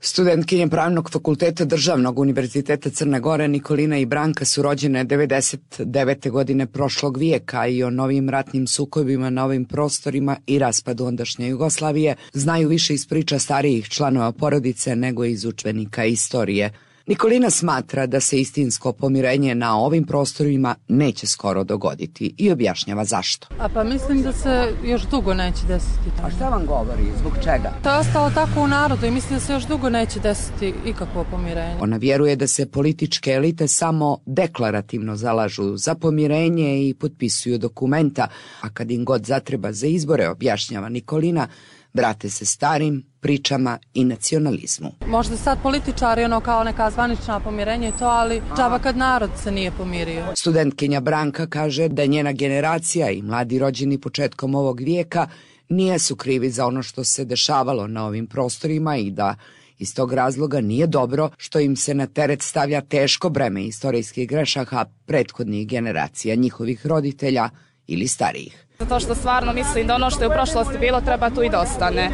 Studentkinje Pravnog fakulteta Državnog univerziteta Crne Gore Nikolina i Branka su rođene 99. godine prošlog vijeka i o novim ratnim sukobima na ovim prostorima i raspadu ondašnje Jugoslavije znaju više iz priča starijih članova porodice nego iz udžbenika istorije. Nikolina smatra da se istinsko pomirenje na ovim prostorima neće skoro dogoditi i objašnjava zašto. Pa mislim da se još dugo neće desiti. A šta vam govori? Zbog čega? To je ostalo tako u narodu i mislim da se još dugo neće desiti ikakvo pomirenje. Ona vjeruje da se političke elite samo deklarativno zalažu za pomirenje i potpisuju dokumenta, a kad im god zatreba za izbore, objašnjava Nikolina, vrate se starim pričama i nacionalizmu. Možda sad političari kao neka zvanična pomirenja i to, ali džaba kad narod se nije pomirio. Studentkinja Branka kaže da njena generacija i mladi rođeni početkom ovog vijeka nisu krivi za ono što se dešavalo na ovim prostorima i da iz tog razloga nije dobro što im se na teret stavlja teško breme istorijskih grešaka prethodnih generacija, njihovih roditelja ili starijih. Zato što stvarno mislim da ono što je u prošlosti bilo treba tu i da ostane.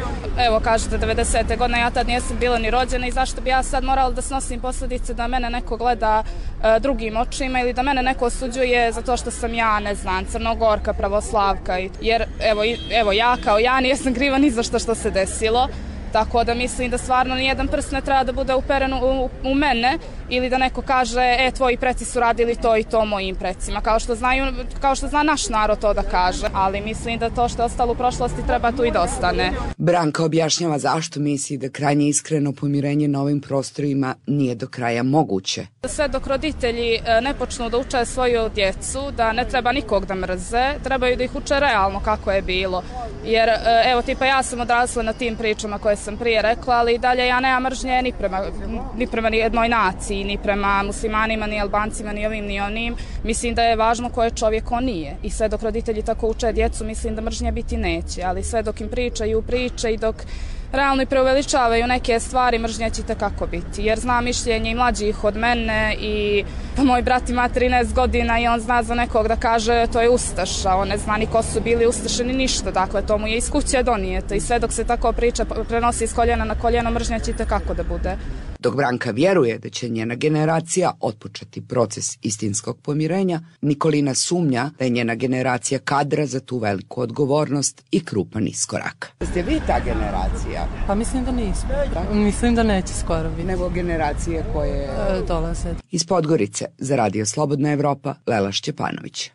Evo kažete 90. godine, ja tad nijesam bila ni rođena i zašto bi ja sad morala da snosim posljedice da mene neko gleda drugim očima ili da mene neko osuđuje zato što sam ja, ne znam, Crnogorka, pravoslavka. Jer evo ja kao ja nijesam kriva ni za što se desilo. Tako da mislim da stvarno nijedan prst ne treba da bude uperen u mene ili da neko kaže tvoji preci su radili to i to mojim precima, kao što zna naš narod to da kaže, ali mislim da to što je ostalo u prošlosti treba tu i da ostane. Branka objašnjava zašto misli da krajnje iskreno pomirenje na ovim prostorima nije do kraja moguće. Sve dok roditelji ne počnu da uče svoju djecu, da ne treba nikog da mrze, trebaju da ih uče realno kako je bilo. Jer evo tipa ja sam odrasla na tim pričama koje sam prije rekla, ali i dalje ja nemam mržnje ni prema jednoj naciji, ni prema muslimanima, ni Albancima, ni ovim, ni onim. Mislim da je važno ko je čovjek, on nije. I sve dok roditelji tako uče djecu, mislim da mržnje biti neće. Ali sve dok im pričaju priče i dok realno i preuveličavaju neke stvari, mržnje će kako biti. Jer zna mišljenje i mlađih od mene i moj brat ima 13 godina i on zna za nekog da kaže to je ustaša. On ne zna ni ko su bili ustaše ni ništa. Dakle, to mu je iz kuće donijeto. I sve dok se tako priča prenosi iz koljena na koljeno, mržnja će kako da bude. Dok Branka vjeruje da će njena generacija otpočeti proces istinskog pomirenja, Nikolina sumnja da je njena generacija kadra za tu veliku odgovornost i krupan iskorak. Ste vi ta generacija? Pa mislim da nismo. Mislim da neće skoro biti. Nego generacije koje dolaze. Iz Podgorice za Radio Slobodna Evropa, Lela Šćepanović.